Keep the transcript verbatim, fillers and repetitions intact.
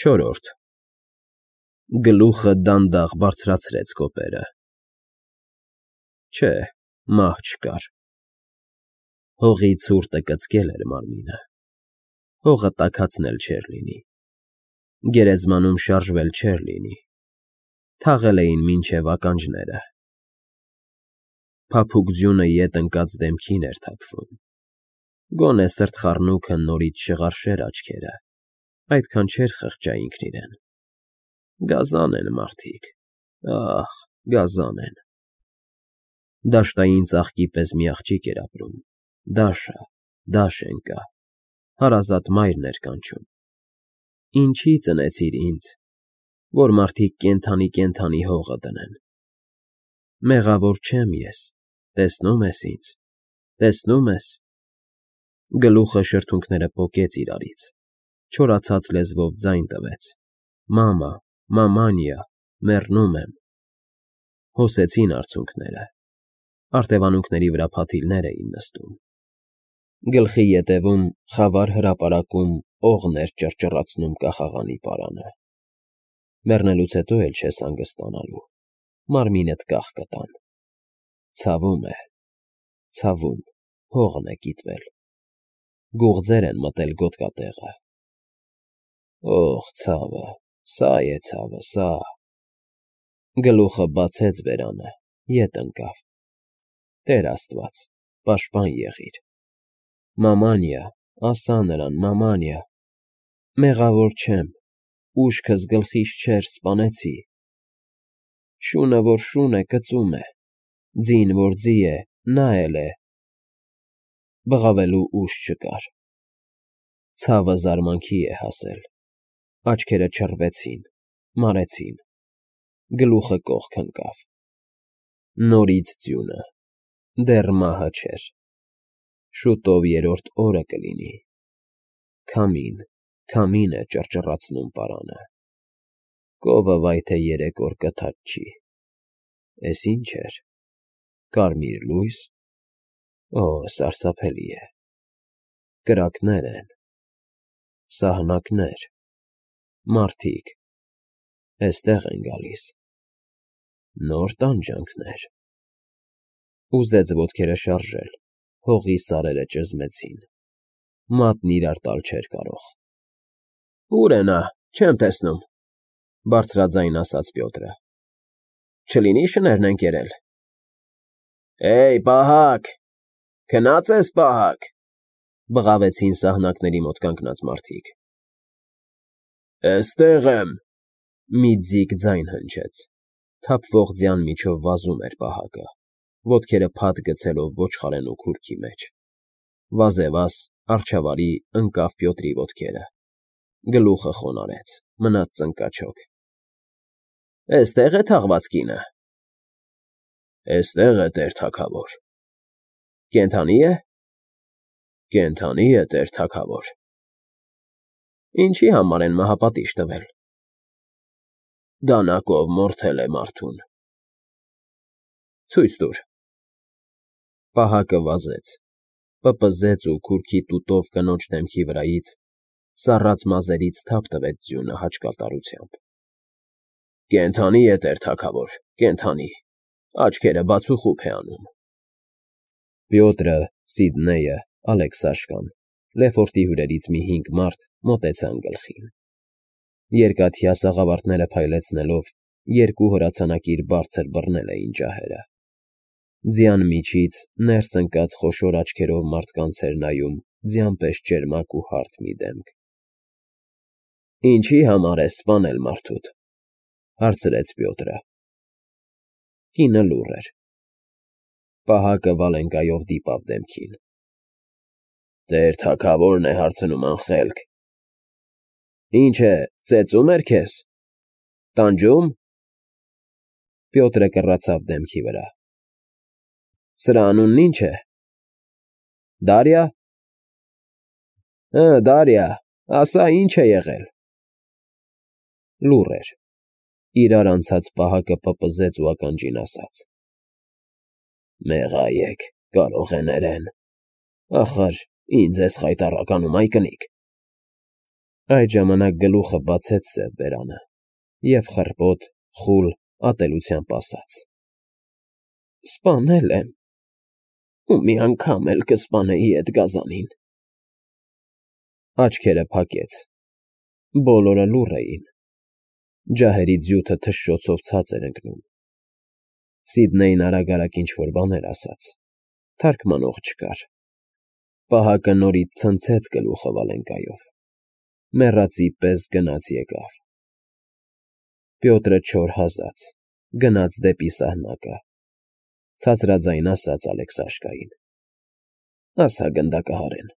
Չորրորդ Գլուխը դանդաղ բարձրացրեց կոպերը։ Չէ, մահ չկար։ Հողի ցուրտը կծկել էր մարմինը, հողը տաքացնել չէր լինի, գերեզմանում շարժվել չէր լինի, թաղել էին մինչև ականջները։ Փափուկ ձյունը ետ ընկած դեմքին էր թափվում, գոնե սրտխառնուքը նորից չղարշեր աչքերը, այդքան չէր խղճա ինքն իրեն։ Գազան են մարդիկ, ախ, գազան են։ Դաշտային ծաղկի պես մի աղջիկ էր ապրում, Դաշը, Դաշենկա, հարազատ մայրն էր կանչում։ Ինչի ծնեցիր ինձ, որ մարդիկ կենդանի֊կենդանի հողը դնեն։ Մեղավոր չեմ ես, տեսնո՞ւմ ես ինձ, տեսնո՞ւմ ես։ Գլուխը շրթունքները պոկեց իրարից, չորացած լեզվով ձայն տվեց. Մամա, մամանիա, մեռնում եմ։ Հոսեցին արցունքները, արտևանունքների վրա փաթիլներ էին նստում։ Գլխի ետևում խավար հրապարակում օղն էր ճռճռացնում կախաղանի պարանը։ Մեռնելուց հետո էլ չես հանգստանալու, մարմինդ կախ կտան։ Ցավում է, ցավում, հողն է կիտվել, գուղձեր են մտել գոտկատեղը։ Օղ, ցավը, սա է ցավը, սա… Գլուխը բացեց բերանը, ետ ընկավ։ Տեր Աստված, պաշտպան եղիր։ Մամանիա, ասա նրան, մամանիա։ Մեղավոր չեմ, ուշքս գլխիս չէր, սպանեցի։ Շունը, որ շուն է, կծում է, ձին, որ ձի է, նա էլ է։ Բղավելու ուժ չկար։ Ցավը զարմանքի է հասել, աչքերը չռվեցին, մարեցին, գլուխը կողք ընկավ։ Նորից ձյունը, դեռ մահը չէր։ Շուտով երրորդ օրը կլինի։ Քամին, քամին է ճռճռացնում պարանը։ Կովը վայ թե երեք օր կթաց չի։ Էս ի՞նչ էր, կարմիր լույս… Օ, սարսափելի է։ Կրակներ են, սահնակներ, մարդիկ, էստեղ են գալիս։ Նոր տանջանքներ… Ուզեց ոտքերը շարժել, հողի սարերը ճզմեցին, մատն իրար տալ չէր կարող։ Ո՞ւր է նա, չեմ տեսնում, բարձրաձայն ասաց Պյոտրը։ Չլինի շներն են կերել։ Էյ, պահակ, քնա՞ծ ես, պահակ, բղավեցին սահնակների մոտ կանգնած մարդիկ։ Էստեղ եմ, մի ձիգ ձայն հնչեց, թափվող ձյան միջով վազում էր պահակը, ոտքերը փաթ գցելով ոչխարենու քուրքի մեջ։ Վազեվազ, առջավարի, ընկավ Պյոտրի ոտքերը, գլուխը խոնարհեց, մնաց ծնկաչոք։ Էստեղ է թաղված կինը։ Էստեղ է, տեր թագավոր։ Կենդանի՞ է։ Կենդանի է, տեր թագավոր։ Ինչի համար են մահապատիժ տվել։ Դանակով մորթել է մարդուն։ Ցույց տուր։ Պահակը վազեց, պպզեց ու քուրքի տուտով կնոջ դեմքի վրայից, սառած մազերից թափ տվեց ձյունը հաճկալտարությամբ։ Կենդանի է, տեր թագավոր, կենդանի, աչքերը բացուխուփ է անում։ Պյոտրը, Սիդնեյը, Ալեքսաշկան, Լեֆորտի հյուրերից մի հինգ մարդ մոտեցան գլխին։ Երկաթյա սաղավարտները փայլեցնելով, երկու հրացանակիր բարձր բռնել էին ջահերը։ Ձյան միջից ներս ընկած խոշոր աչքերով մարդկանց էր նայում ձյան պես ճերմակ ու հարթ մի դեմք։ Ինչի համար ես սպանել մարդուդ, հարցրեց Պյոտրը։ Կինը լուռ էր։ Պահակը Վալենկայով դիպավ դեմքին։ Տեր թագավորն է հարցնում անխելք։ Ինչ է, ծեծում էր քեզ։ Տանջում։ Պյոտրը կռացավ դեմքի վրա։ Սրա անունն ի՞նչ է։ Դարյա։ Հը, Դարյա, ասա, ինչ է եղել։ Լուռ էր։ Իրար անցած պահակը պպզեց ու ականջին ասաց. Մեղայեք, կարող է ներեն։ Ախր, ինձ ես խայտառականում, այ կնիկ։ Այդ ժամանակ գլուխը բացեց սև բերանը և խռպոտ, խուլ ատելությամբ ասաց. ֊ Սպանել եմ, ու մի անգամ էլ կսպանեի էդ գազանին… Աչքերը փակեց, բոլորը լուռ էին, ջահերի ձյութը թշշոցով ցած էր ընկնում… Սիդնեյն արագ֊արագ ինչ֊որ բաներ ասաց, թարգմանող չկար… Պահակը նորից ցնցեց գլուխը վալենկայով, մեռածի պես գնաց֊եկավ… Պյոտրը չոր հազաց, գնաց դեպի սահնակը, ցածրաձայն ասաց Ալեքսաշկային. ֊ Ասա գնդակահարեն,